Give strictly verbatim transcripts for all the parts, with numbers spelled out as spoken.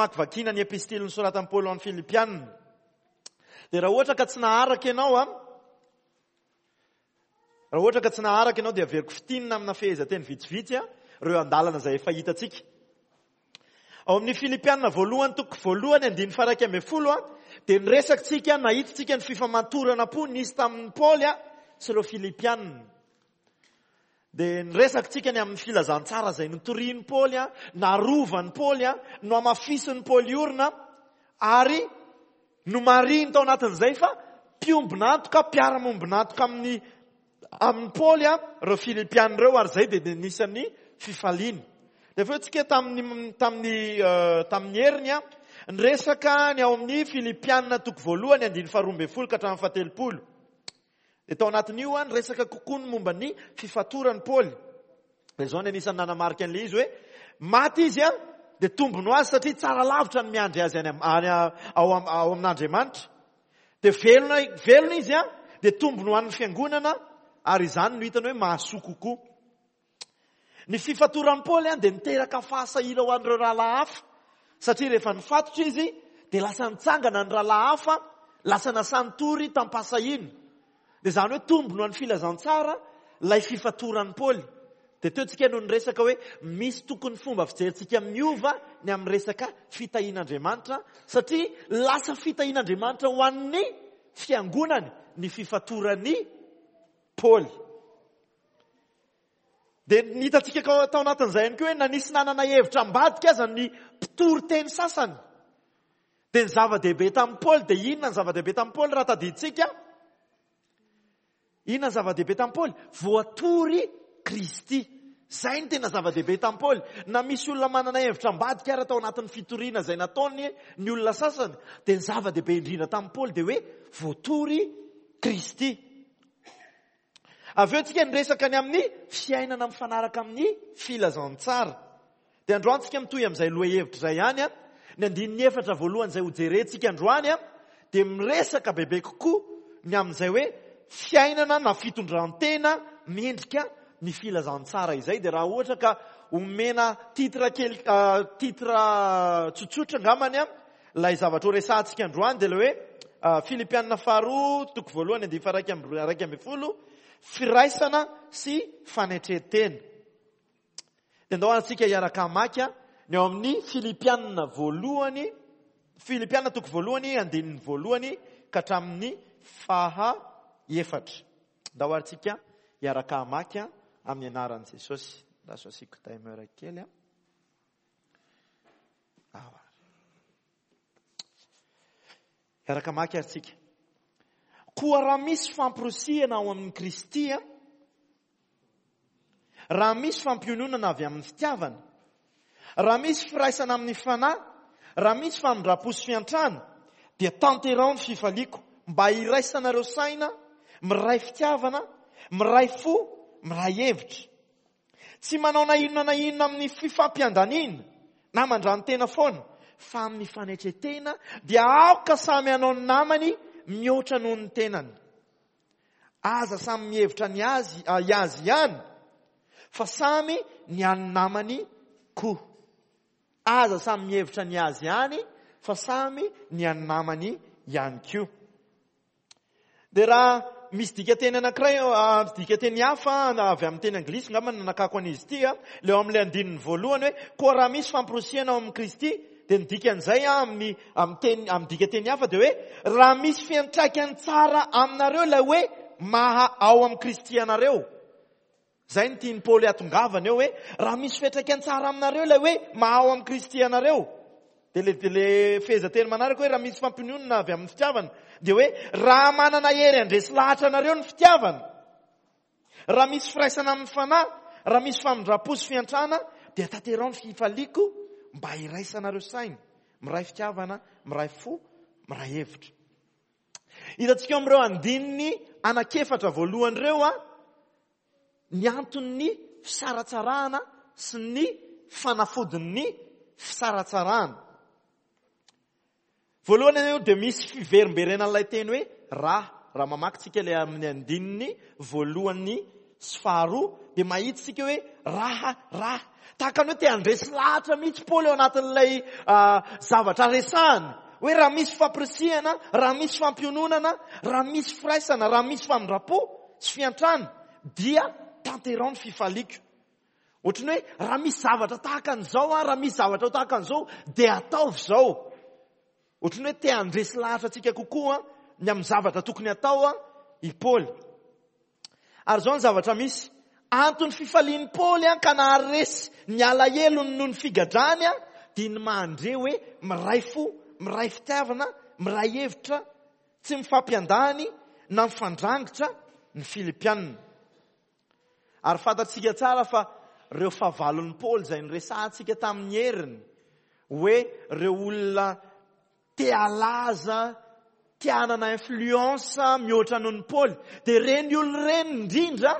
Famakivakiana ny epistily nosoratan'i Paoly ho an'ny Filipianina. Dia raha ohatra ka tsy naharaka ianao an, raha ohatra ka tsy naharaka ianao dia averiko fintinina amina fehezanteny vitsivitsy an, ireo andalana izay efa hitantsika. Ao amin'ny Filipianina voalohany toko voalohany andininy faha-iraika ambin'ny folo an, dia niresaka tsika, nahita tsika ny fifamatorana am-po nisy tamin'i Paoly an, sy ireo Filipianina. Dia niresaka tsika ny amin'ny filazantsara izay notorian'i Paoly, narovan'i Paoly, nohamafisin'i Paoly orina, ary nomarihiny tao anatin'izay fa mpiombon'antoka, mpiara-mombon'antoka amin'ny, amin'i Paoly ireo Filipiana ireo, ary izay dia anisan'ny fifaliany. Dia avy eo tsika tamin'ny, tamin'ny, tamin'ny heriny, niresaka ny ao amin'ny Filipiana toko voalohany andininy faharoa ambin'ny folo ka hatramin'ny fahatelopolo. Dia tao anatin'io an, niresaka kokoa ny momba ny fifatoran'i Paoly. Dia izao ny anisan'ny nanamarika an'ilay izy hoe maty izy an, dia tombony ho azy satria tsara lavitra ny miandry azy any am-, any a-, ao am-, ao amin'Andriamanitra. Dia velona, velona izy an, dia tombony ho an'ny fiangonana, ary izany no hitany hoe mahasoa kokoa. Ny fifatoran'i Paoly an, dia niteraka fahasahiana ho an'ireo rahalahy hafa, satria rehefa nifatotra izy dia lasa nitsangana ny rahalahy hafa, lasa nasany tory tam-pahasahiana. Dia izany hoe tombony ho an'ny filazantsara ilay fifatoran'i Paoly. Dia teo tsika no niresaka hoe misy tokony fomba fijerintsika miova ny amin'ny resaka fitahian'Andriamanitra, satria lasa fitahian'Andriamanitra ho an'ny fiangonany ny fifatoran'i Paoly. Dia ny hitantsika tao anatin'izay ihany koa hoe nanisy nanana hevitra ambadika aza ny mpitory teny sasany. Dia ny zava-dehibe tamin'i Paoly, dia inona ny zava-dehibe tamin'i Paoly raha tadidintsika? Inona ny zava-dehibe tamin'i Paoly? Voatory Kristy. Izay no tena zava-dehibe tamin'i Paoly. Na misy olona manana hevitra ambadika ara tao anatin'ny fitoriana izay nataony ny olona sasany, dia ny zava-dehibe indrindra tamin'i Paoly dia hoe voatory Kristy. Avy eo tsika niresaka ny amin'ny fiainana mifanaraka amin'ny filazantsara. Dia androany tsika mitohy amin'izay lohahevitra izay ihany an. Ny andininy efatra voalohany izay hojerentsika androany an, dia miresaka bebe kokoa ny amin'izay hoe fiainana na fitondran-tena mendrika ny filazantsara izay. Dia raha ohatra ka omena titre kely, ah, titre tsotsotra angambany an, ilay zavatra ho resahantsika androany dia ilay hoe, ah, Filipianina faharoa toko voalohany andininy faha-iraika amby, iraika ambin'ny folo, firaisana sy fanetren-tena. Dia ndao antsika hiaraka hamaky ny ao amin'ny Filipianina voalohany, Filipianina toko voalohany andininy voalohany ka hatramin'ny faha efatra. Ndao antsika hiaraka hamaky amin'ny anaran'i Jesosy. Lasa asiako timer kely a. Awa. Hiaraka hamaky ary tsika. Koa raha misy famporisihana ao amin'i Kristy, raha misy fampiononana avy amin'ny fitiavana, raha misy firaisana amin'ny fanahy, raha misy famindram-po sy fiantrana, dia tanteraho ny fifaliako mba hiraisanareo saina, miray fitiavana, miray fo, miray hevitra. Tsy manao na inona na inona amin'ny fifampiandaniana na mandrano-tena foana, fa amin'ny fanetren-tena dia aoka samy hanao ny namany mihoatra noho ny tenany. Aza samy mihevitra ny azy, ah, azy ihany, fa samy ny an'ny namany koa. Aza samy mihevitra ny azy ihany, fa samy ny an'ny namany ihany koa. Dia raha misy dikateny anankiray, ah, dikateny hafa avy amin'ny teny anglisy angamba no nanakako an'izy ity, ah, ilay ao amin'ilay andininy voalohany hoe koa raha misy famporisihana ao amin'i Kristy, dia ny dikan'izay, ah, amin'ny, amin'ny teny, amin'ny dikateny hafa dia hoe raha misy fiantraikany tsara aminareo ilay hoe maha ao amin'i Kristy anareo. Izay no tian'i Paoly hatongavana eo hoe raha misy fiantraikany tsara aminareo ilay hoe maha ao amin'i Kristy anareo. Dia le, le fehezanteny manaraka hoe raha misy fampiononana avy amin'ny fitiavana, dia hoe raha manana hery handresy lahatra anareo ny fitiavana, raha misy firaisana amin'ny fanahy, raha misy famindram-po sy fiantrana, dia tanteraho ny fifaliako mba hiraisanareo saina, miray fitiavana, miray fo, miray hevitra. Hitantsika eo amin'ireo andininy anankiefatra voalohany ireo a, ny anton'ny fisaratsarahana sy ny fanafodin'ny fisaratsarahana. Voalohany aloha dia misy fiverimberenan'ilay teny hoe raha, raha mamaky tsika ilay amin'ny andininy voalohany sy faharoa, dia mahita isika hoe raha, raha. Tahaka ny hoe te handresy lahatra mihitsy Paoly ao anatin'ilay zavatra resahany. Hoe raha misy fampirisihana, raha misy fampiononana, raha misy firaisana, raha misy famindram-po sy fiantrana, dia tanterao ny fifaliako. Ohatran'ny hoe raha misy zavatra tahaka an'izao, raha misy zavatra tahaka an'izao, dia ataovy izao. Ohatran'ny hoe te handresy lahatra antsika kokoa ny amin'ny zavatra tokony atao i Paoly. Ary izao ny zavatra misy. Antony fifalian'i Paoly ka naharesy ny alahelony noho ny figadrany dia ny mandre hoe miray fo, miray fitiavana, miray hevitra, tsy mifampiandany na mifandrangitra ny Filipianina. Ary fantatsika tsara fa ireo fahavalon'i Paoly izay niresahantsika tamin'ny heriny, hoe ireo olona te halaza, te hanana influence mihoatra noho ny Paoly, dia ireny olona ireny indrindra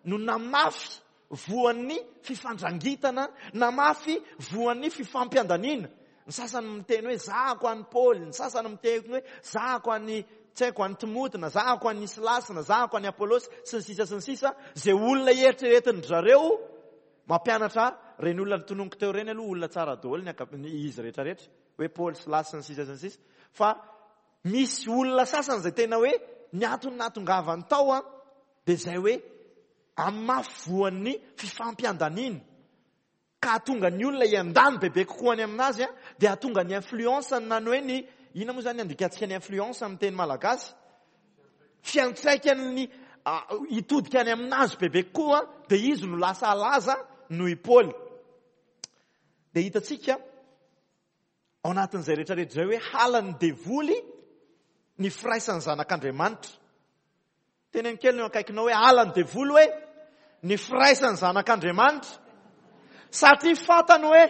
no namafy voan'ny fifandrangitana, namafy voan'ny fifampiandaniana. Ny sasany miteny hoe zahako an'i Paoly, ny sasany miteny hoe zahako an'i, tsy haiko, an'i Timoty, na zahako an'i Silasy, na zahako an'i Apolosy, sy ny sisa sy ny sisa. Izay olona eritreretin-dry zareo mampianatra ireny olona notononiko teo ireny aloha, olona tsara daholo ny anka-, ny izy rehetrarehetra, hoe Paoly, Silasy, sy ny sisa sy ny sisa. Fa misy olona sasany izay tena hoe ny antony nahatongavany tao a, dia izay hoe amafy voan'ny fifampiandaniana. Ka hahatonga ny olona hiandany bebe kokoa any aminazy a, dia hahatonga ny influence na ny hoe ny, inona moa zany andikantsika ny influence amin'ny teny malagasy? Fiantraikan'ny, a, hitodika any aminazy bebe kokoa, dia izy no lasa halaza noho i Paoly. Dia hitantsika ao anatin'izay rehetrarehetra izay hoe halan'ny devoly ny firaisan'ny zanak'Andriamanitra. Teneno kely ny eo akaikinao hoe halan'ny devoly hoe ny firaisan'ny zanak'Andriamanitra. Satria fantany hoe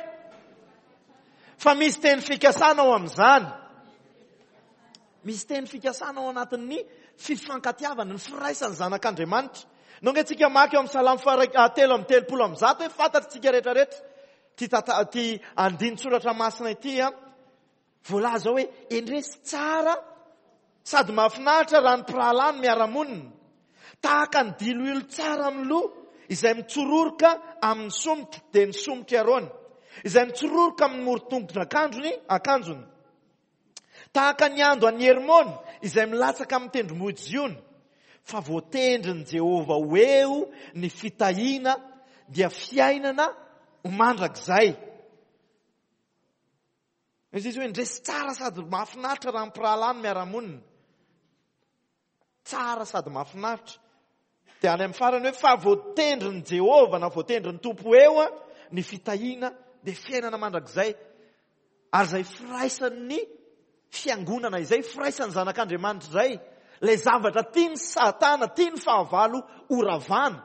fa misy teny fikasana ao amin'izany. Misy teny fikasana ao anatin'ny fifankatiavana, ny firaisan'ny zanak'Andriamanitra. Nonga antsika maka eo amin'ny salamo faha-, ah, telo amby telopolo amby zato hoe fantatritsika rehetrarehetra ty tata-, ty andinin-tsoratra masina ity a, voalaza hoe endresy tsara sady mahafinaritra raha ny mpirahalahy no miara-monina, tahaka ny diloilo tsara amin'ny loha izay mitsororoka amin'ny somotra, dia ny somotra Arona, izay mitsororoka amin'ny moron-tongotr'akanjony, akanjony, tahaka ny ando an'i Hermona izay milatsaka amin'ny tendrombohitra Ziona, fa voatendrin'i Jehovah ho eo ny fitahiana, dia fiainana ho mandrakizay. Izy izy hoe ndresy tsara sady mahafinaritra raha ny mpirahalahy no miara-monina. Tsara sady mahafinaritra. Dia any amin'ny farany hoe fa voatendrin'i Jehovah na voatendrin'ny Tompo eo a, ny fitahiana dia fiainana mandrakizay. Ary izay firaisan'ny fiangonana izay, firaisan'ny zanak'Andriamanitra izay, ilay zavatra tian'ny Satana, tian'ny fahavalo ho ravana.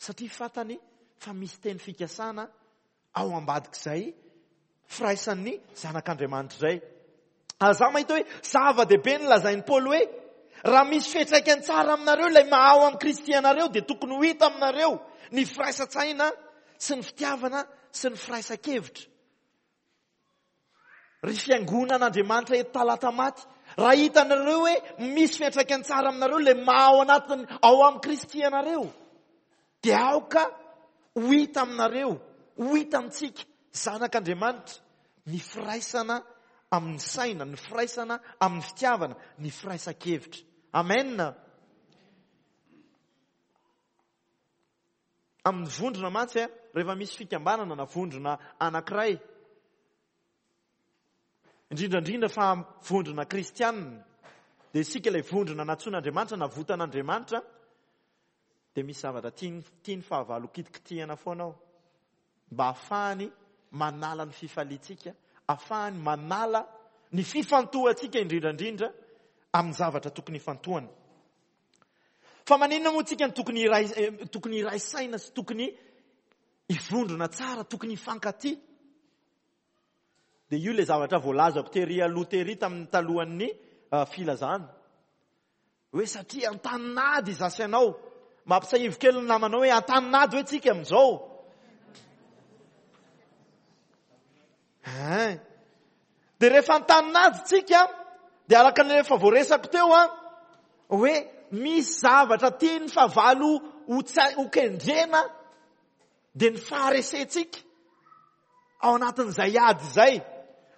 Satria fantany fa misy teny fikasana ao ambadik'izay firaisan'ny zanak'Andriamanitra izay. Ary za mahita hoe zava-dehibe ny lazain'i Paoly hoe raha misy fiantraikany tsara aminareo ilay maha ao amin'i Kristy anareo, dia tokony ho hita aminareo ny firaisan-tsaina sy ny fitiavana sy ny firaisan-kevitra. Ry fiangonan'Andriamanitra eto Talatamaty, raha hitanareo hoe misy fiantraikany tsara aminareo ilay maha ao anatiny ao amin'i Kristy anareo, dia aoka ho hita aminareo, ho hita amintsika zanak'Andriamanitra ny firaisana amin'ny saina, ny firaisana amin'ny fitiavana, ny firaisan-kevitra. Amen. Amin'ny vondrona mantsy, eh, rehefa misy fikambanana na vondrona anankiray, indrindra indrindra fa vondrona kristianina, dia isika ilay vondrona nantsoin'Andriamanitra, navotan'Andriamanitra, dia misy zavatra tiany, tiany fahavalo kitikitihana foana ao, mba ahafahany manala ny fifaliantsika, ahafahany manala ny fifantohantsika indrindra indrindra amin'ny zavatra tokony hifantohana. Fa maninona moa tsika no tokony hiray, eh, tokony hiray saina sy tokony hivondrona tsara, tokony hifankatia? Dia io ilay zavatra voalazako tery aloha tery tamin'ny talohan'ny, eh, filazana. Hoe satria an-tanin'ady izaho sy ianao. Mampisahivo kely ny namanao hoe an-tanin'ady hoe tsika amin'izao. Hein. Dia rehefa an-tanin'ady tsika, dia araka ny efa voaresako teo an, hoe misy zavatra tian'ny fahavalo ho tsa-, ho kendrena, dia ny faharesentsika ao anatin'izay ady izay.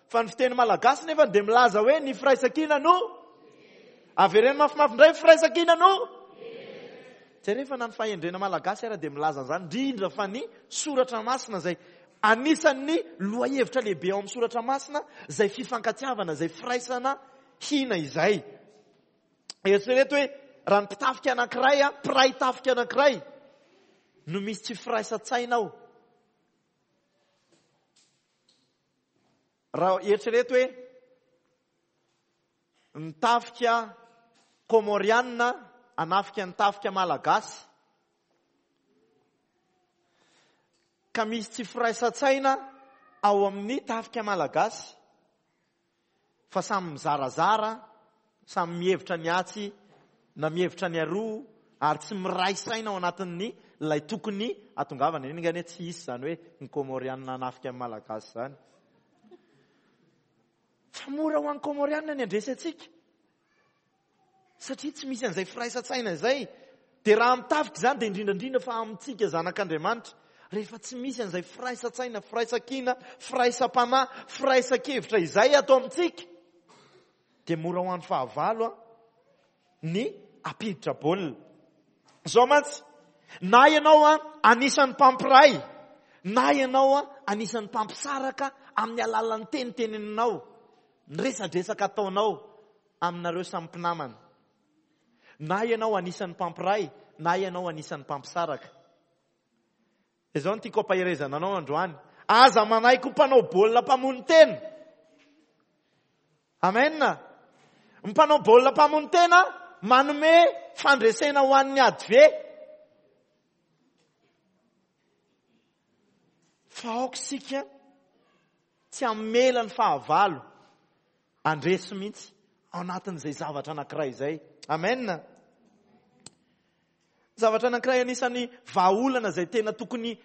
Fa ny fiteny malagasy nefa dia milaza hoe ny firaisankina no avereno mafimafy indray, firaisankina no Jereo na ny fahendrena malagasy ara dia milaza an'izany, indrindra fa ny soratra masina izay anisan'ny lohahevitra lehibe ao amin'ny soratra masina, izay fifankatiavana, izay firaisana hina izay. Eritrereto hoe raha ny mpitafika anankiray, a, mpiray tafika anankiray no misy tsy firaisan-tsaina ao. Raha eritrereto hoe ny tafika Komorianina hanafika ny tafika malagasy, ka misy tsy firaisan-tsaina ao amin'ny tafika malagasy, fa samy mizarazara, samy mihevitra ny atsy na mihevitra ny aroa, ary tsy miray saina ao anatin'ny ilay tokony hatongavana. Iny ngane tsy hisy izany hoe ny Komorianina hanafika ny malagasy izany. Fa mora ho an'ny Komorianina ny handresy antsika, satria tsy misy an'izay firaisan-tsaina izay. Dia raha mitafika izany dia indrindra indrindra fa amintsika zanak'Andriamanitra, rehefa tsy misy an'izay firaisan-tsaina, firaisan-kina, firaisam-panahy, firaisan-kevitra izay ato amintsika, dia mora ho an'ny fahavalo a, ny ampiditra baolina. Izao mantsy, na ianao a, anisan'ny mpampiray, na ianao a, anisan'ny mpampisaraka amin'ny alalan'ny teniteninao, ny resadresaka ataonao aminareo samy mpinamana. Na ianao anisan'ny mpampiray, na ianao anisan'ny mpampisaraka. Izao no tiako ampaherezana anao androany. Aza manaiky ho mpanao baolina mpamono tena. Amen. Ny mpanao baolina mpamono tena manome fandresena ho an'ny ady ve. Fa aoka isika tsy hamela ny fahavalo handresy mihitsy ao anatin'izay zavatra anankiray izay. Amen. Zavatra anankiray anisan'ny vahaolana izay tena tokony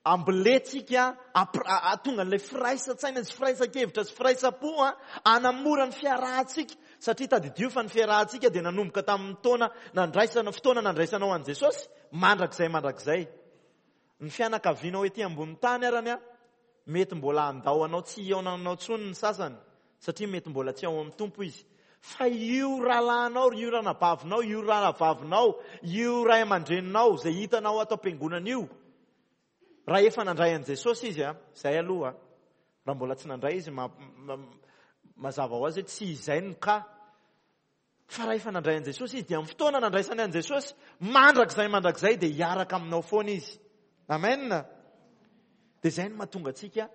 ambolentsika, ampir-, a-, ahatonga an'ilay firaisan-tsaina sy firaisan-kevitra sy firaisam-po, a, hanamora ny fiarahantsika. Satria tadidio fa ny fiarahantsika dia nanomboka tamin'ny taona nandraisana, fotoana nandraisanao an'i Jesosy, mandrakizay mandrakizay. Ny fianakavianao ety ambony tany arany, a, mety mbola handao anao tsy hihaona aminao intsony ny sasany, satria mety mbola tsy ao amin'ny Tompo izy. Fa io rahalahinao, io ranabavinao, io rahavavinao, io ray aman-dreninao izay hitanao ato am-piangonana io, raha efa nandray an'i Jesosy izy, a, izay aloha, raha mbola tsy nandray izy, ma-, ma-, mazava ho azy hoe tsy izay no ka. Fa raha efa nandray an'i Jesosy izy, dia amin'ny fotoana nandraisany an'i Jesosy, mandrakizay mandrakizay dia hiaraka aminao foana izy. Amen. Dia izay no mahatonga antsika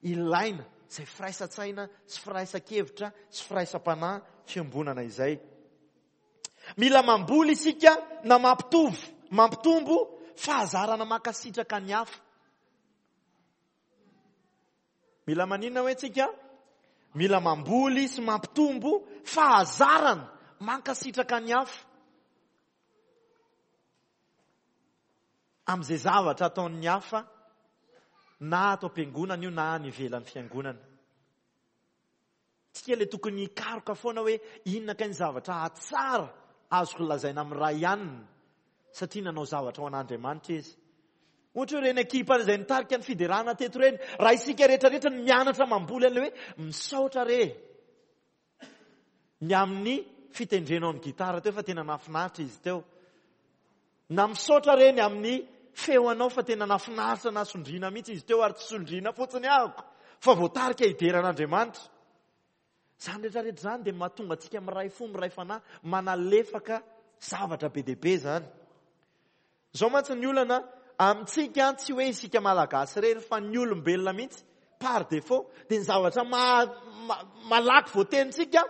ilaina izay firaisan-tsaina sy firaisan-kevitra sy firaisam-panahy fiombonana izay. Mila mamboly isika na mampitovy, mampitombo fahazarana mankasitraka ny hafa. Mila maninona hoe tsika? Mila mamboly sy mampitombo fahazarana mankasitraka ny hafa. Amin'izay zavatra ataon'ny hafa, na ato am-piangonana io na any ivelan'ny fiangonana. Tsika ilay tokony hikaroka foana hoe inona kay ny zavatra hatsara azoko lazaina amin'ny ray ihany, satria nanao zavatra ho an'Andriamanitra izy. Ohatra hoe ireny ekipa izay nitarika ny fiderana teto ireny, raha isika rehetrarehetra ny mianatra mamboly an'ilay hoe misaotra re ny amin'ny fitendrenao ny gitara teo fa tena nahafinaritra izy teo, na misaotra re ny amin'ny feo anao fa tena nahafinaritra na sondriana mihitsy izy teo, ary tsy sondriana fotsiny ahako fa voatarika hidera an'Andriamanitra. Izany rehetrarehetra izany dia mahatonga antsika miray fo, miray fanahy, manalefaka zavatra be dia be izany. Izao mantsy ny olana amintsika, tsy hoe isika malagasy irery fa ny olombelona mihitsy par défaut, dia ny zavatra ma-, ma-, malaky voatenintsika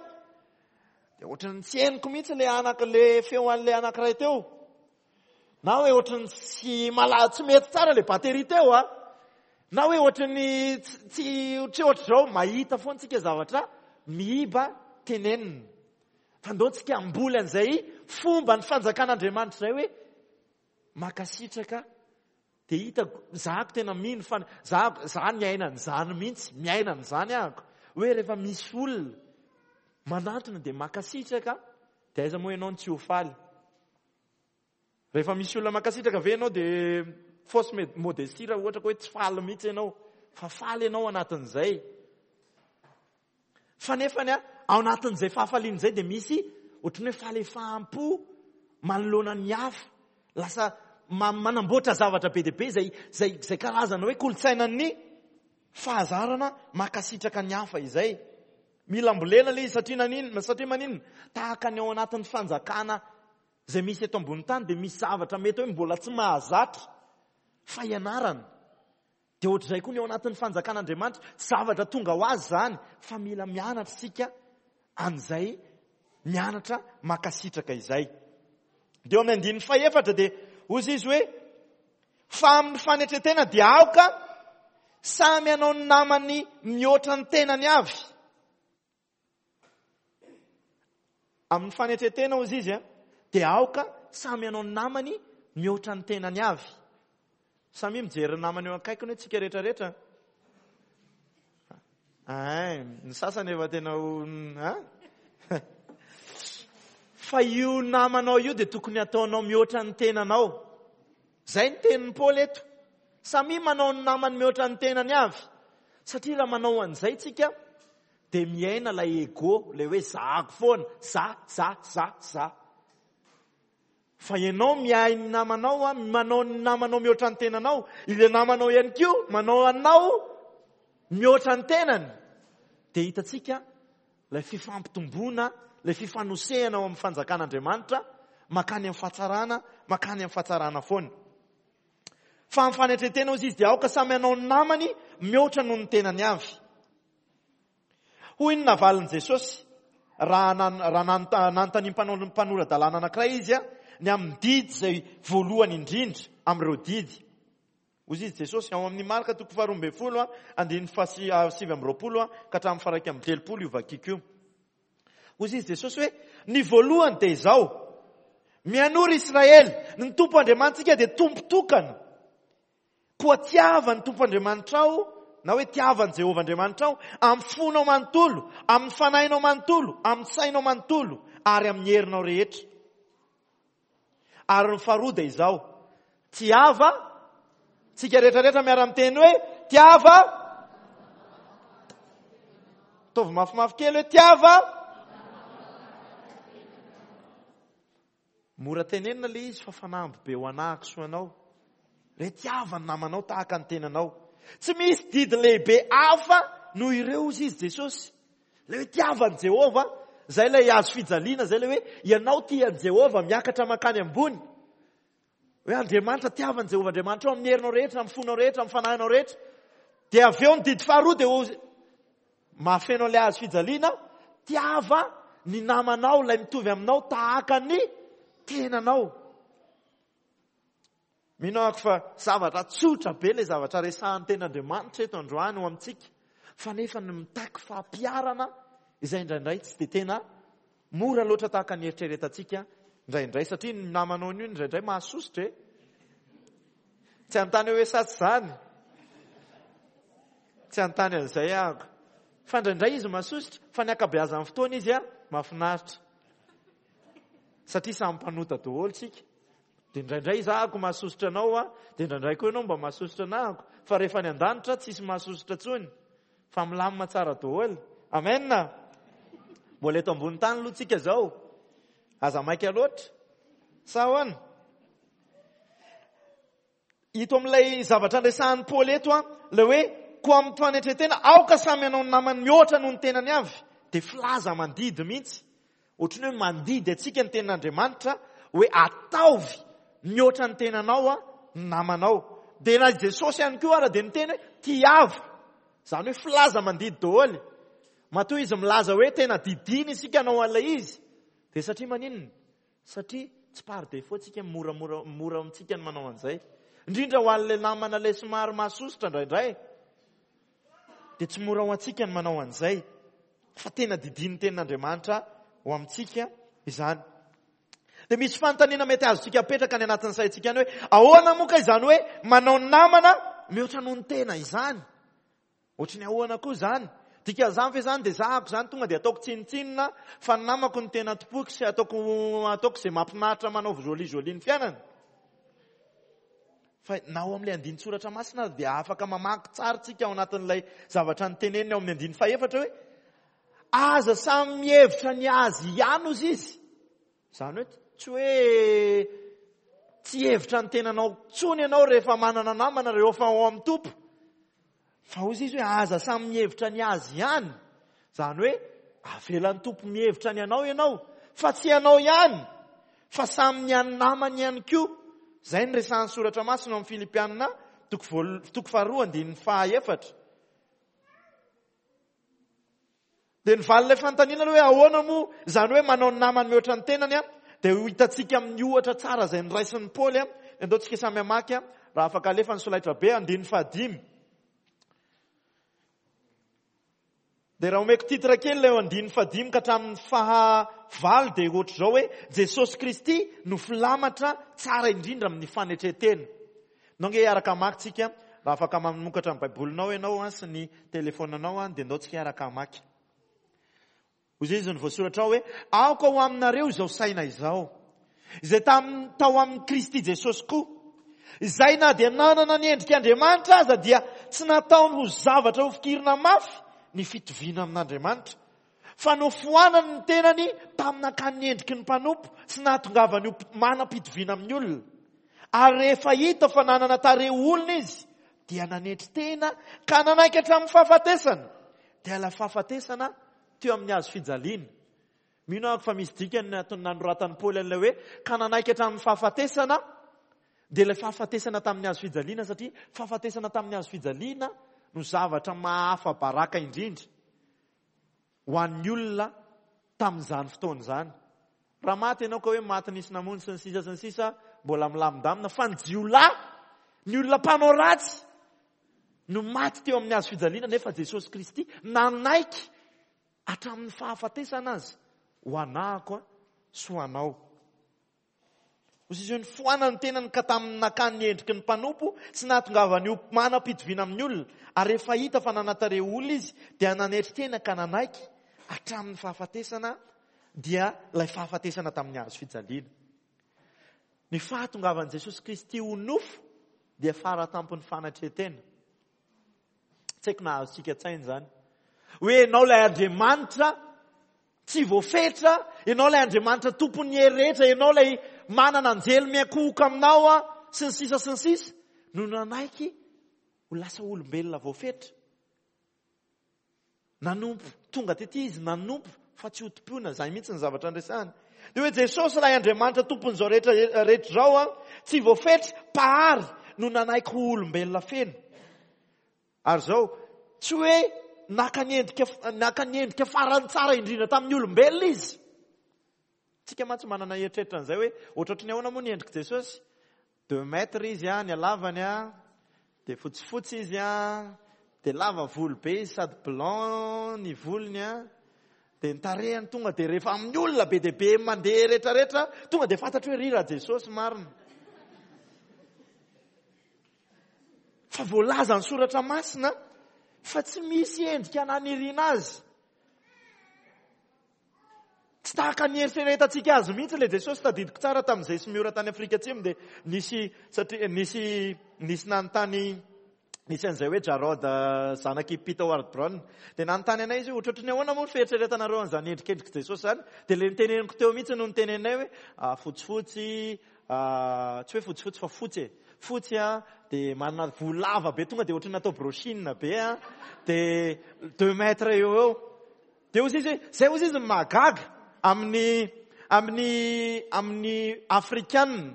dia ohatran'ny tsy henoko mihitsy ilay anak-, ilay feo an'ilay anankiray teo, na hoe ohatran'ny tsy mala-, tsy mety tsara ilay batterie teo, a, na hoe ohatran'ny tsy, tsy, tsy ohatr'izao. Mahita foana tsika zavatra miiba tenenina. Fa ndao tsika hamboly an'izay fomba ny fanjakan'Andriamanitra izay hoe mankasitraka. Dia hitako, zahako tena mino fa za, za niaina an'izany mihitsy, miaina an'izany ahako. Hoe rehefa misy olona manantona dia mankasitraka, dia aiza moa ianao no tsy ho faly. Rehefa misy olona mankasitraka ve ianao dia fausse modestie raha ohatra ka hoe tsy faly mihitsy ianao, fa faly ianao anatin'izay. Fa nefany a, ao anatin'izay fahafaliana izay dia misy ohatran'ny hoe falefaham-po manoloana ny hafa. Lasa manamboatra zavatra be dia be izay, izay, izay karazana hoe kolontsainan'ny fahazarana mankasitraka ny hafa izay. Mila ambolena ilay izy satria naninona, satria maninona? Tahaka ny ao anatin'ny fanjakana izay misy eto ambony tany dia misy zavatra mety hoe mbola tsy mahazatra fa ianarana. Dia ohatr'izay koa ny ao anatin'ny fanjakan'Andriamanitra, tsy zavatra tonga ho azy izany fa mila mianatra isika an'izay mianatra mankasitraka izay. Dia eo amin'ny andininy fahefatra dia hoy izy hoe fa amin'ny fanetren-tena dia aoka samy hanao ny namany mihoatra ny tenany avy. Amin'ny fanetren-tena hoy izy dia aoka samy hanao ny namany mihoatra ny tenany avy. Samy mijery ny namany eo akaikiny hoe tsika rehetrarehetra. Ay, ny sasany efa tena ho, ha? Fa io namanao io dia tokony hataonao mihoatra ny tenanao. Izay ny tenin'i Paoly eto. Samy manao ny namany mihoatra ny tenany avy. Satria raha manao an'izay tsika dia miaina ilay ego, ilay hoe zahako foana, za, za, za, za. Fa ianao miahy ny namanao, manao ny namanao mihoatra ny tenanao, ilay namanao ihany koa manao anao mihoatra ny tenany. Dia hitantsika ilay fifampitomboana, ilay fifanosehana ao amin'ny fanjakan'Andriamanitra, makany amin'ny fahatsarana, makany amin'ny fahatsarana foana. Fa amin'ny fanetren-tena hozy izy dia aoka samy hanao ny namany mihoatra noho ny tenany avy. Hoy ny navalin'i Jesosy raha raha nanontanian'ny mpanora-dalàna anankiray izy ny amin'ny didy izay voalohany indrindra amin'ireo didy. Hoy izy Jesosy ao amin'ny Marka toko faharoa ambin'ny folo andininy fahasivy amby roapolo ka hatramin'ny faha iraika amby telopolo io vakiko io. Hoy izy Jesosy hoe ny voalohany dia izao: mianora Israely, ny Tompo Andriamanitsika dia Tompo tokana. Koa tiava ny Tompo Andriamanitrao, na hoe tiava an'i Jehovah Andriamanitrao amin'ny fonao manontolo, amin'ny fanahinao manontolo, amin'ny sainao manontolo ary amin'ny herinao rehetra. Ary ny faharoa dia izao: tiava, tsika rehetrarehetra miara-miteny hoe tiava. Ataovy mafimafy kely hoe tiava. Mora tenenina ilay izy fa fanamby be ho anahako sy ho anao. Re tiava ny namanao tahaka ny tenanao. Tsy misy didy lehibe hafa noho ireo hozy izy Jesosy. Ilay hoe tiava an'i Jehovah, izay ilay hazo fijaliana, izay ilay hoe ianao tia an'i Jehovah miakatra mankany ambony. Hoe Andriamanitra, tiava an'i Jehovah Andriamanitrao amin'ny herinao rehetra, amin'ny fonao rehetra, amin'ny fanahinao rehetra. Dia avy eo ny didy faharoa dia ho mahafeno an'ilay hazo fijaliana, tiava ny namanao ilay mitovy aminao tahaka ny tenanao. Mino aho fa zavatra tsotra be ilay zavatra resahan'ny tenin'Andriamanitra eto androany ho amintsika, fa nefa ny mitaky fampiharana izay indraindray tsy dia tena mora loatra tahaka ny eritreretantsika indraindray, satria ny namanao io indraindray mahasosotra e. Tsy hanontany hoe sa tsy izany, tsy hanontany an'izay aho, fa indraindray izy mahasosotra, fa ny ankabeazan'ny fotoana izy a mahafinaritra, satria samy mpanota daholo tsika. Dia indraindray izaho mahasosotra anao a, dia indraindray koa ianao mba mahasosotra anahako, fa rehefa any an-danitra tsisy mahasosotra intsony, fa milamina tsara daholo. Amen. Mbola eto ambony tany aloha tsika zao, aza maika loatra. Sa ahoana? Ito amin'ilay zavatra andresahan'i Paoly eto a, ilay hoe koa amin'ny fanetren-tena aoka samy hanao ny namany mihoatra noho ny tenany avy, dia filaza mandidy mihitsy. Ohatran'ny hoe mandidy antsika ny tenin'Andriamanitra hoe ataovy mihoatra ny tenanao a, ny namanao. Dia na Jesosy ihany koa ara dia niteny hoe tiava. Izany hoe filaza mandidy daholo. Matoa izy milaza hoe tena didiny isika hanao an'ilay izy, dia satria maninona? Satria tsy par défaut tsika moramora mora amintsika ny manao an'izay. Indrindra ho an'ilay namana ilay somary mahasosotra indraindray, dia tsy mora ho antsika ny manao an'izay, fa tena didin'ny tenin'Andriamanitra ho amintsika izany. Dia misy fanontaniana mety azontsika apetraka any anatin'ny saintsika any hoe ahoana moa ka izany hoe manao namana mihoatra noho ny tena izany? Ohatry ny ahoana koa izany? Dikan'izany ve izany dia zahako izany tonga dia ataoko tsinontsinona fa ny namako no tena tompoiko sy ataoko, ataoko izay mahafinaritra manao joli joli ny fiainana? Fa na ao amin'ilay andinin-tsoratra masina ary dia afaka mamaky tsara tsika ao anatin'ilay zavatra niteneniny ao amin'ny andininy fahefatra hoe aza samy mihevitra ny azy ihany ozy izy. Izany hoe tsy hoe tsy hevitra ny tenanao intsony ianao rehefa manana namana, rehefa ao amin'ny Tompo. Fa ozy izy hoe aza samy mihevitra ny azy ihany. Izany hoe avelan'ny Tompo mihevitra ny anao ianao, fa tsy ianao ihany, fa samy ny an'ny namany ihany koa. Izay ny resahan'ny soratra masina ao amin'ny Filipiana toko voal-, toko faharoa andininy fahaefatra. Dia ny valin'ilay fanontaniana aloha hoe ahoana moa izany hoe manao ny namany mihoatra ny tenany a, dia ho hitantsika amin'ny ohatra tsara izay noraisin'i Paoly a. Andao tsika samy hamaky a, raha afaka alefa ny solaitra be, andininy fahadimy. Dia raha omeko titre kely ilay andininy fahadimy ka hatramin'ny fahavalo dia ohatr'izao hoe Jesosy Kristy no filamatra tsara indrindra amin'ny fanetren-tena. Ndao nge hiaraka hamaky tsika, raha afaka mamokatra ny Baibolinao ianao a, sy ny telefonanao a, dia ndao tsika hiaraka hamaky. Hoy izy ny voasoratra ao hoe aoka ho aminareo izao saina izao, izay tam-, tao amin'i Kristy Jesosy koa, izay na dia nanana ny endrik'Andriamanitra aza dia tsy nataony ho zavatra ho fikirina mafy ny fitoviana amin'Andriamanitra, fa nofoanany ny tenany tamin'ny nakany ny endriky ny mpanompo sy nahatongavany ho manam-pitoviana amin'ny olona. Ary rehefa hita fa nanana tarehy olona izy, dia nanetry tena ka nanaiky hatramin'ny fahafatesana. Dia ilay fahafatesana teo amin'ny hazo fijaliana. Mino aho fa misy dikany ny antony nanoratan'i Paoly an'ilay hoe ka nanaiky hatramin'ny fahafatesana, dia ilay fahafatesana tamin'ny hazo fijaliana, satria fahafatesana tamin'ny hazo fijaliana no zavatra mahafa-baraka indrindra ho an'ny olona tamin'izany fotoana izany. Raha maty ianao ka hoe maty nisy namonjy sy ny sisa sy ny sisa, mbola milamindamina, fa ny jiolahy, ny olona mpanao ratsy no maty teo amin'ny hazo fijaliana, nefa Jesosy Kristy nanaiky hatramin'ny fahafatesana azy ho anahako sy ho anao. Hoy izy hoe nifoanany ny tenany ka tamin'ny nakany ny endriky ny mpanompo sy nahatongavany ho manam-pitoviana amin'ny olona. Ary rehefa hita fa nanatarehy olona izy, dia nanetry tena ka nanaiky hatramin'ny fahafatesana, dia ilay fahafatesana tamin'ny hazo fijaliana. Ny fahatongavan'i Jesosy Kristy ho nofo dia faratampon'ny fanatren-tena. Tsy haiko na azontsika an-tsaina izany. Hoe ianao ilay Andriamanitra tsy voafetra, ianao ilay Andriamanitra tompon'ny hery rehetra, ianao ilay manana anjely miankohoka aminao a, sy ny sisa sy ny sisa, no nanaiky ho lasa olombelona voafetra. Nanompo, tonga tety izy, nanompo fa tsy ho tompoina, izay mihitsy ny zavatra andresany. Dia hoe Jesosy ilay Andriamanitra tompon'izao rehetra, rehetra izao a, tsy voafetra, mpahary, no nanaiky ho olombelona feno. Ary izao, tsy hoe naka ny endrika, naka ny endrika farany tsara indrindra tamin'ny olombelona izy. Tsika mantsy manana eritreritra an'izay hoe ohatrohatry ny ahoana moa ny endrik'i Jesosy? Deux mètres izy a, ny halavany a, dia fotsifotsy izy a, dia lava volo be izy sady blanc ny volony a, dia ny tarehiny tonga dia rehefa amin'ny olona be dia be mandeha rehetrarehetra, tonga dia fantatro hoe ry raha Jesosy marina. Fa voalaza ny soratra masina fa tsy misy endrika naniriana azy. Tsy tahaka ny eritreretantsika azy mihitsy ilay Jesosy. Tadidiko tsara tamin'izay sy Miora tany Afrika Atsimo dia nisy, satria nisy, nisy nanontany, nisy an'izay hoe Jarod zanak'i Peter Ward Brown. Dia nanontany anay izy hoe ohatrohatry ny ahoana moa ny fieritreretanareo an'izany endrikendrik'i Jesosy izany? Dia ilay niteneniko teo mihitsy no nitenenay hoe, ah, fotsifotsy, ah, tsy hoe fotsifotsy fa fotsy e. Fotsy a, dia manana volo lava be, tonga dia ohatran'ny natao brochine be a, dia deux mètres eo eo. Dia hoy izy hoe, zay hoy izy ny mahagaga amin'ny, amin'ny, amin'ny Afrikanina.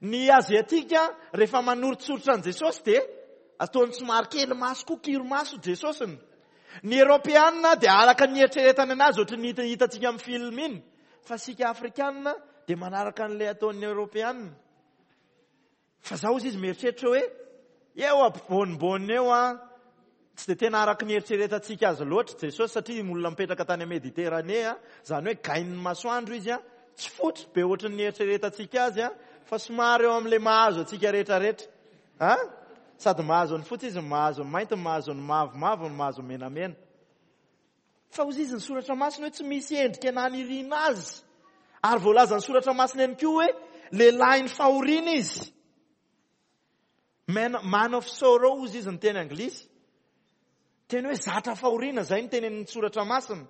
Ny Aziatika rehefa manoritsoritra an'i Jesosy dia ataony somary kely maso koa, kiro maso Jesosiny. Ny Eoropeanina dia araka ny eritreretana anazy ohatran'ny hita-, hitantsika amin'ny film iny. Fa isika Afrikanina dia manaraka an'ilay ataon'ny Eoropeanina. Fa zaho izy mieritreritra hoe eo ampovoanibony eo a, tsy dia tena araka ny eritreretantsika azy loatra Jesosy, satria olona mipetraka tany Mediterane a, izany hoe gain'ny masoandro izy a, tsy fotsy be ohatran'ny eritreretantsika azy a, fa somary eo amin'ilay mahazo antsika rehetrarehetra. A? Sady mahazo ny fotsy izy, mahazo ny mainty, mahazo ny mavomavo, mahazo ny menamena. Fa hoy izy ny soratra masina hoe tsy misy endrika naniriana azy. Ary voalaza ny soratra masina ihany koa hoe lehilahin'ny fahoriana izy. Man, man of sorrows izy ny teny anglisy. Teny hoe zatra fahoriana zay ny teny amin'ny soratra masina.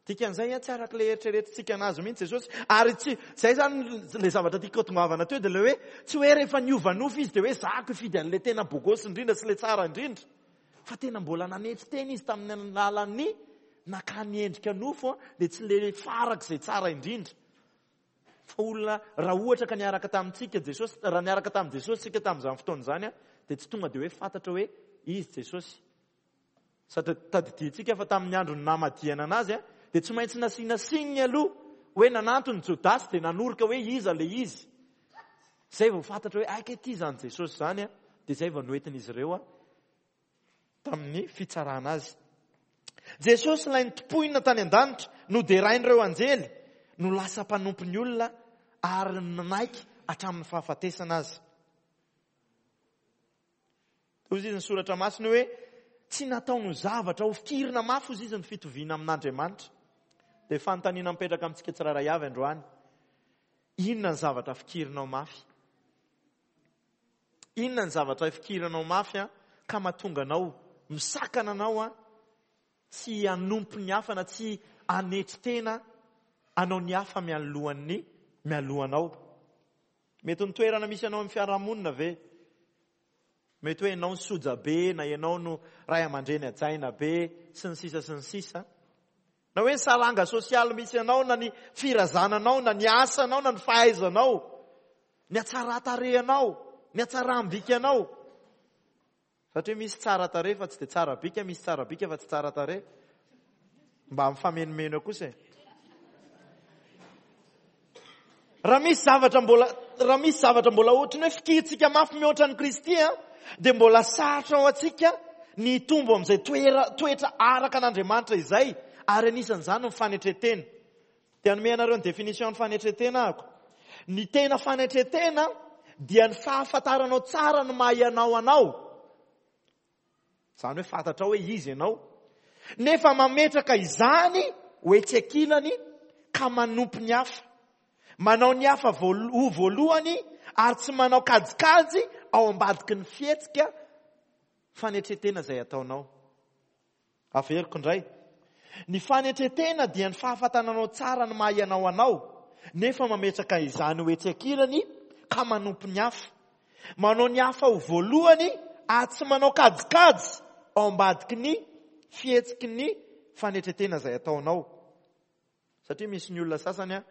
Dikan'izay a tsy araka ilay eritreretintsika anazy mihitsy Jesosy. Ary tsy zay zany le zavatra tiako tongavana teo, dia le hoe tsy hoe rehefa niova nofo izy dia hoe zako hifidy an'ilay tena bogosy indrindra sy ilay tsara indrindra. Fa tena mbola nanetry tena izy tamin'ny alalan'ny nakany endrika nofo, dia tsy le farak'izay tsara indrindra. Fa olona raha ohatra ka niaraka tamintsika Jesosy, raha niaraka tamin'i Jesosy tsika tamin'izany fotoana izany, dia tsy tonga dia hoe fantatra hoe izy Jesosy. Satria tadidintsika fa tamin'ny andro namadihana anazy, dia tsy maintsy nasiana signe aloha hoe nanantony Jodasy dia nanoroka hoe iza le izy. Zay vao fantatra hoe aika ity izany Jesosy izany, dia zay vao noentin'izy ireo tamin'ny fitsarana azy. Jesosy ilay nitompoina tany an-danitra, noderain'ireo anjely, no lasa mpanompon'ny olona ary nanaiky hatramin'ny fahafatesana azy. Hoy izy ny soratra masina hoe tsy nataony ho zavatra ho fikirina mafy hoy izy ny fitoviana amin'Andriamanitra. Dia fanontaniana mipetraka amintsika tsirairay avy androany. Inona ny zavatra fikirinao mafy? Inona ny zavatra fikirinao mafy a ka mahatonga anao misakana anao a tsy hanompo ny hafa na tsy hanetry tena anao ny hafa mialohan'ny mialohanao? Mety ny toerana misy anao amin'ny fiarahamonina ve? Mety hoe ianao ny soja be na ianao no ray aman-dreny hajaina be sy ny sisa sy ny sisa. Na hoe ny saranga sosialy misy anao na ny firazananao na ny asanao na ny fahaizanao, ny hatsaran-tarehinao, ny hatsaram-bikanao. Satria misy tsara tarehy fa tsy dia tsara bika, misy tsara bika fa tsy tsara tarehy. Mba mifamenomeno kosa e. Raha misy zavatra mbola, raha misy zavatra mbola ohatran'ny hoe fikirintsika mafy mihoatra an'i Kristy, dia mbola sarotra ho antsika ny hitombo amin'izay toera, toetra araka an'Andriamanitra izay, ary anisan'izany ny fanetren-tena. Dia hanome anareo ny définition ny fanetren-tena ahako. Ny tena fanetren-tena dia ny fahafantaranao tsara ny maha ianao anao. Izany hoe fantatrao hoe izy ianao. Nefa mametraka izany ho etsy ankilany ka manompo ny hafa. Manao ny hafa ho voalohany ary tsy manao kajikajy ao ambadiky ny fihetsika fanetren-tena izay ataonao. Averiko indray. Ny fanetren-tena dia ny fahafantaranao tsara ny maha ianao anao, nefa mametraka izany ho etsy ankilany ka manompo ny hafa. Manao ny hafa ho voalohany ary tsy manao kajikajy ao ambadiky ny fihetsiky ny fanetren-tena izay ataonao. Satria misy ny olona sasany a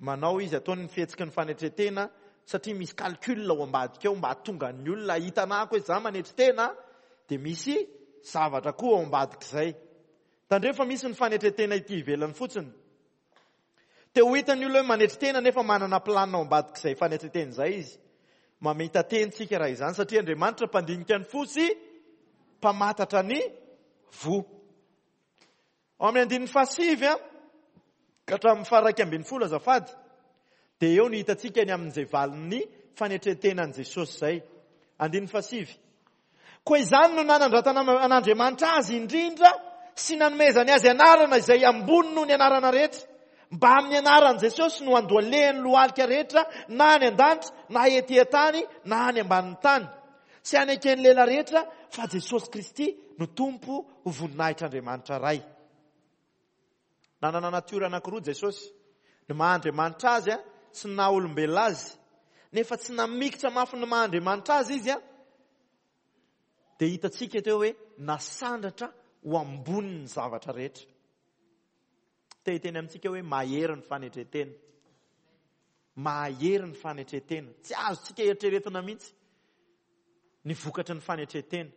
manao izy ataony ny fihetsiky ny fanetren-tena satria misy calcul ao ambadika ao mba hahatonga ny olona hahita anako hoe za manetry tena, dia misy zavatra koa ao ambadik'izay. Tandremo fa misy ny fanetren-tena ity ivelany fotsiny. Te ho hitan'ny olona hoe manetry tena nefa manana plan ao ambadik'izay fanetren-tena izay izy. Mamita teny tsika raha izany satria Andriamanitra mpandinika ny fo sy mpamantatra ny voa. Ao amin'ny andininy fahasivy a ka hatramin'ny faha-iraika ambin'ny folo azafady, dia eo no hitantsika ny amin'izay valin'ny fanetren-tenan'i Jesosy izay. Andininy fahasivy. Koa izany no nanandratana an'Andriamanitra azy indrindra sy nanomezany azy anarana izay ambony noho ny anarana rehetra, mba amin'ny anaran'i Jesosy no andohalehan'ny lohalika rehetra na any an-danitra na ety an-tany na any ambanin'ny tany, sy haneken'ny lela rehetra fa Jesosy Kristy no Tompo ho voninahitr'Andriamanitra Ray. Nanana natiora anankiroa Jesosy, ny maha Andriamanitra azy a sy ny naha olombelona azy. Nefa tsy namikitra mafy ny maha Andriamanitra azy izy a, dia hitantsika teo hoe nasandratra ho ambonin'ny zavatra rehetra. Te hiteny amintsika hoe mahery ny fanetren-tena. Mahery ny fanetren-tena. Tsy azontsika eritreretina mihitsy ny vokatry ny fanetren-tena.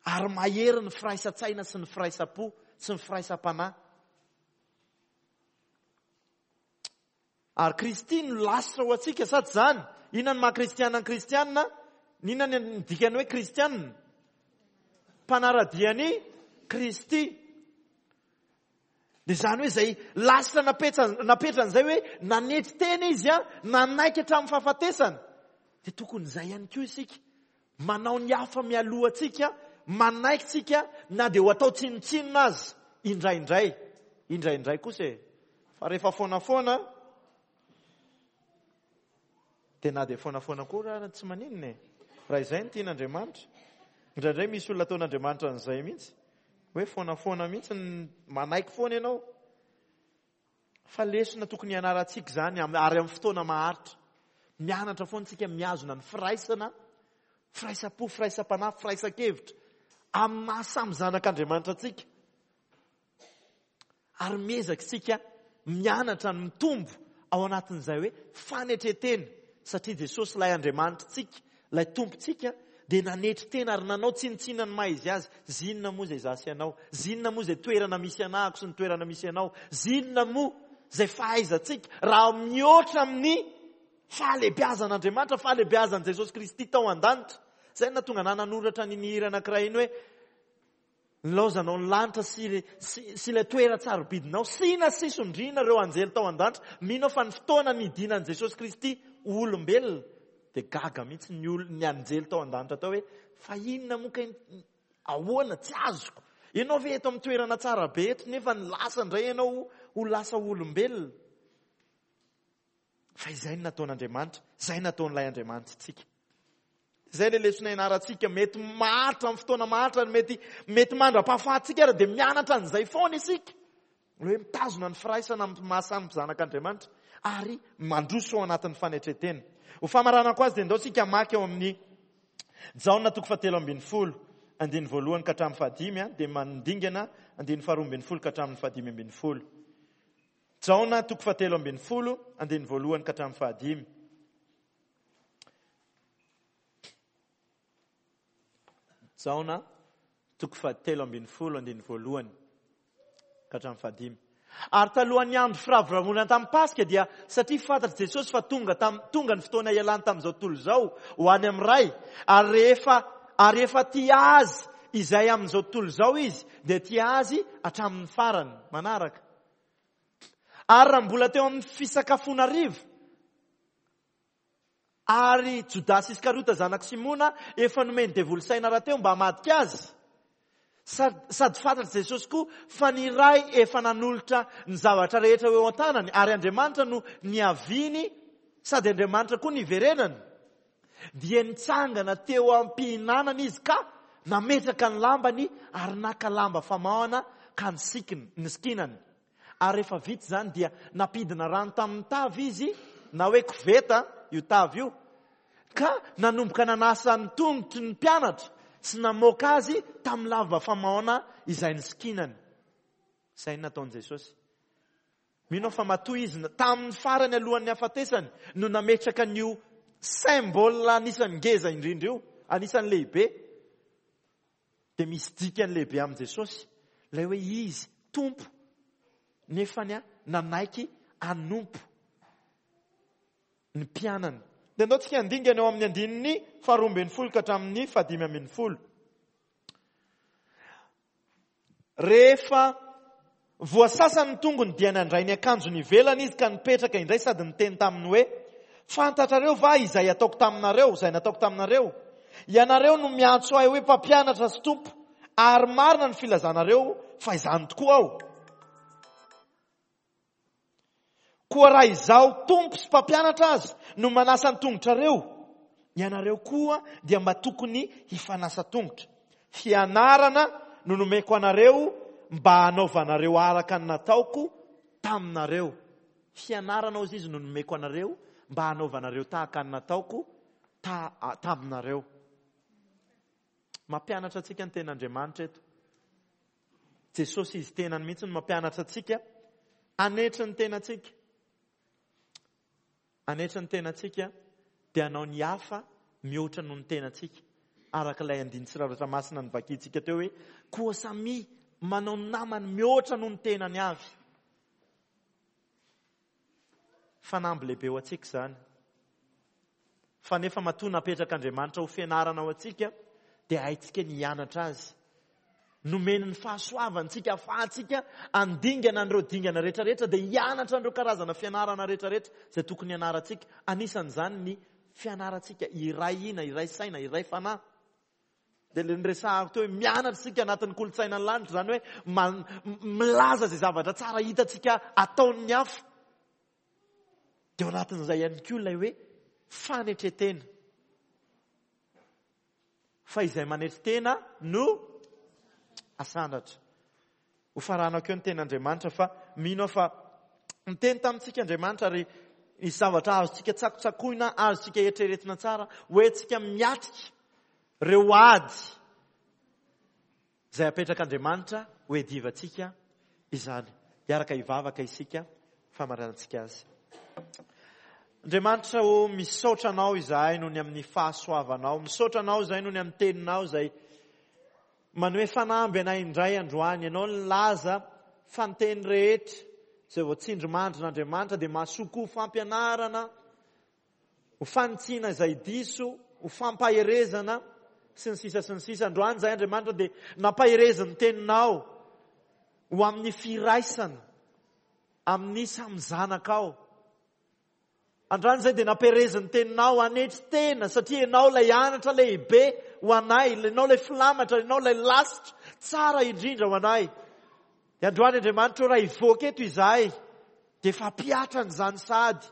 Ary mahery ny firaisan-tsaina sy ny firaisam-po sy ny firaisam-panahy. Ary Kristy no lasitra ho antsika, sa tsy izany? Inona no maha kristiana ny kristiana? Inona ny dikany hoe kristiana? Mpanara-dia an'i Kristy. Dia izany hoe izay lasitra napetsa-, napetrany izay hoe nanetry tena izy a, nanaiky hatramin'ny fahafatesana. Dia tokony izay ihany koa isika. Manao ny hafa mialoha antsika, manaiky tsika na dia ho atao tsinontsinona azy indraindray. Indraindray kosa e. Fa rehefa foana foana, dia na dia foana foana koa raha tsy maninona e. Raha izay no tian'Andriamanitra. Indraindray misy olona ataon'Andriamanitra an'izay mihitsy. Hoe foanafoana mihitsy, manaiky foana ianao. Fa lesona tokony hianarantsika izany ary amin'ny fotoana maharitra. Mianatra foana isika mihazona ny firaisana, firaisam-po, firaisam-panahy, firaisan-kevitra amin'ny maha samy zanak'Andriamanitra antsika. Ary miezaka isika mianatra ny mitombo ao anatin'izay hoe fanetren-tena, satria Jesosy ilay Andriamanitritsika, ilay Tompontsika, dia nanetry tena ary nanao tsinontsinona ny maha izy azy. Zinona moa izay izaho sy ianao? Zinona moa izay toerana misy anahako sy ny toerana misy anao? Zinona moa izay fahaizantsika raha mihoatra amin'ny fahalehibeazan'Andriamanitra, fahalehibeazan'i Jesosy Kristy tao an-danitra? Izay no nahatonga anah nanoratra an'iny hira anankiray iny hoe nilaozanao ny lanitra sy, sy, sy ilay toeran-tsarobidinao, sy nasisondriana ireo anjely tao an-danitra. Mino aho fa ny fotoana nidinan'i Jesosy Kristy ho olombelona, dia gaga mihitsy ny ol-, ny anjely tao an-danitra tao hoe, fa inona moa kay, ahoana, tsy azoko. Ianao ve eto amin'ny toerana tsara be eto, nefa ny lasa indray ianao ho lasa olombelona. Fa izay no nataon'Andriamanitra, izay nataon'ilay Andriamanitritsika. Izay ilay lesona ianarantsika, mety maharitra amin'ny fotoana maharitra, mety, mety mandra-pahafahantsika ary dia mianatra an'izay foana isika. Ilay hoe mitazona ny firaisana amin'ny maha samy zanak'Andriamanitra ary mandroso ao anatin'ny fanetren-tena. Ho famaranako azy dia ndao isika hamaky ao amin'ny Jaona toko fahatelo ambin'ny folo, andininy voalohany ka hatramin'ny fahadimy, dia mandingana andininy faharoa ambin'ny folo ka hatramin'ny fahadimy ambin'ny folo. Jaona toko fahatelo ambin'ny folo, andininy voalohany ka hatramin'ny fahadimy. Jaona toko fahatelo ambin'ny folo, andininy voalohany ka hatramin'ny fahadimy. Ary talohan'ny andro firavoravoana tamin'ny Paska dia satria fantatr'i Jesosy fa tonga tam-, tonga ny fotoana hialany tamin'izao tontolo izao ho any amin'ny Ray, ary rehefa, ary efa tia azy izay amin'izao tontolo izao izy, dia tia azy hatramin'ny farany. Manaraka. Ary raha mbola teo amin'ny fisakafoana hariva, ary Jodasy Iskariota zanak'i Simona efa nomen'ny devoly saina rahateo mba hamadika azy. Sady fantatr'i Jesosy koa fa ny Ray efa nanolotra ny zavatra rehetra ho eo an-tanany, ary Andriamanitra no niaviany sady Andriamanitra koa niverenany. Dia nitsangana teo am-pihinanana izy ka nametraka ny lambany ary naka lamba famahana ka nisikina, nisikinany. Ary rehefa vita izany dia nampidina rano tamin'ny tavy izy, na hoe koveta io tavy io, ka nanomboka nanasa ny tongotry ny mpianatra sy namoaka azy tamin'ny lamba famaona izay nisikinany. Izay no nataon'i Jesosy. Mino aho fa matoa izy tamin'ny farany alohan'ny hafatesany no nametraka an'io symbole anisan'ny ngeza indrindra io, anisan'ny lehibe. Dia misy dikany lehibe amin'i Jesosy, ilay hoe izy Tompo nefany nanaiky hanompo ny mpianany. Dia andao tsika handingana eo amin'ny andininy faharoa ambin'ny folo ka hatramin'ny fahadimy ambin'ny folo. Rehefa voasasany ny tongony dia nandray ny akanjony ivelany izy ka nipetraka indray sady niteny taminy hoe, fantatrareo va izay ataoko taminareo, izay nataoko taminareo? Ianareo no miantso ahy hoe mpampianatra sy tompo, ary marina ny filazanareo fa izany tokoa aho. Koa raha izaho tompo sy mpampianatra aza no manasa ny tongotrareo, ianareo koa dia mba tokony hifanasa tongotra. Fianarana no nomeko anareo mba hanaovanareo araka ny nataoko taminareo. Fianarana hozy izy no nomeko anareo mba hanaovanareo tahaka ny nataoko ta-, taminareo. Mampianatra antsika ny tenin'Andriamanitra eto. Jesosy izy tenany mihitsy no mampianatra antsika hanetry ny tenantsika. Hanetry ny tenantsika dia hanao ny hafa mihoatra noho ny tenantsika. Araka ilay andinin-tsoratra masina novakintsika teo hoe koa samia manao ny namany mihoatra noho ny tenany avy. Fanamby lehibe ho antsika izany. Fa nefa matoa napetrak'Andriamanitra ho fianarana ho antsika dia haintsika ny hianatra azy. Nomeny ny fahasoavantsika ahafahantsika handingana an'ireo dingana rehetrarehetra dia hianatra an'ireo karazana fianarana rehetrarehetra izay tokony hianarantsika. Anisan'izany ny fianarantsika iray hina, iray saina, iray fanahy. Dia ilay niresahako teo hoe mianatra isika anatin'ny kolontsaina ny lanitra, izany hoe man-, milaza izay zavatra tsara hitantsika ataon'ny hafa. Dia ao anatin'izay ihany koa ilay hoe fanetren-tena. Fa izay manetry tena no asandratra. Ho faranako eo ny tenin'Andriamanitra fa mino aho fa niteny tamintsika Andriamanitra ary nisy zavatra azontsika tsakotsakoina, azontsika eritreretina tsara, hoentsika miatrika ireo ady izay apetrak'Andriamanitra ho edivantsika izany. Hiaraka hivavaka isika famaranantsika azy. Andriamanitra ô, misaotra anao izahay noho ny amin'ny fahasoavanao, misaotra anao izahay noho ny amin'ny teninao izay manome fanamby anay indray androany. Ianao nilaza fa ny teny rehetra izay voatsindrimandrin'Andriamanitra dia mahasoa koa ho fampianarana, ho fanitsiana izay diso, ho fampaherezana sy ny sisa sy ny sisa. Androany izahay Andriamanitra dia nampaherezin'ny teninao ho amin'ny firaisana amin'ny samy zanakao. Androany izay dia nampiherezin'ny teninao hanetry tena satria ianao ilay anatra lehibe ho anay, ianao ilay filamatra, ianao ilay lasitra tsara indrindra ho anay. Dia androany Andriamanitra ô, raha hivoaka eto izahay dia efa hampihatra an'izany sahady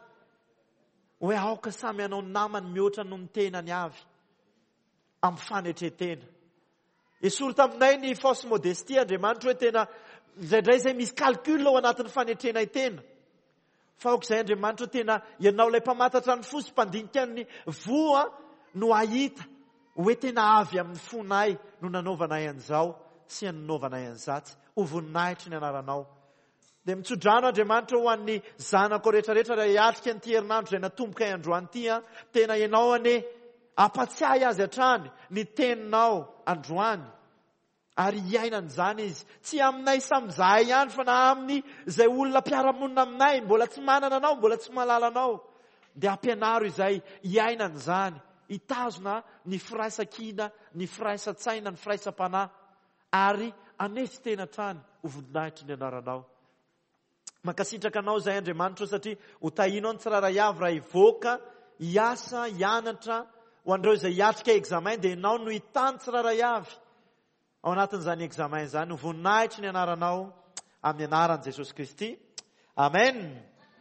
hoe aoka samy hanao ny namany mihoatra noho ny tenany avy amin'ny fanetren-tena. Esory taminay ny fausse modestie Andriamanitra hoe tena indraindray izay misy calcul ao anatin'ny fanetrenay tena. Fa aoka izay Andriamanitra tena ianao ilay mpamantatra ny fo sy mpandinika ny voa no hahita hoe tena avy amin'ny fonay no nanaovanay an'izao sy nanaovanay an'izatsy. Ho voninahitry ny anaranao. Dia mitsodrano Andriamanitra ho an'ny zanako rehetrarehetra raha hiatrika an'ity herinandro izay natombokay androany ity an, tena ianao anie ampatsiahy azy hatrany ny teninao androany. Ary hiainana izany izy. Tsy aminay samy izahay ihany fa na amin'ny izay olona mpiara-monina aminay, mbola tsy manana anao, mbola tsy mahalala anao. Dia ampianaro izay hiainana izany, hitazona ny firaisan-kina, ny firaisan-tsaina, ny firaisam-panahy, ary hanetry tena hatrany ho voninahitry ny anaranao. Mankasitraka anao izay Andriamanitra satria ho tahinao ny tsirairay avy raha hivoaka, hiasa, hianatra, ho an'ireo izay hiatrika examen dia ianao no hitany tsirairay avy. Ao anatin'izany examen izany, ho voninahitry ny anaranao amin'ny anaran'i Jesosy Kristy. Amen.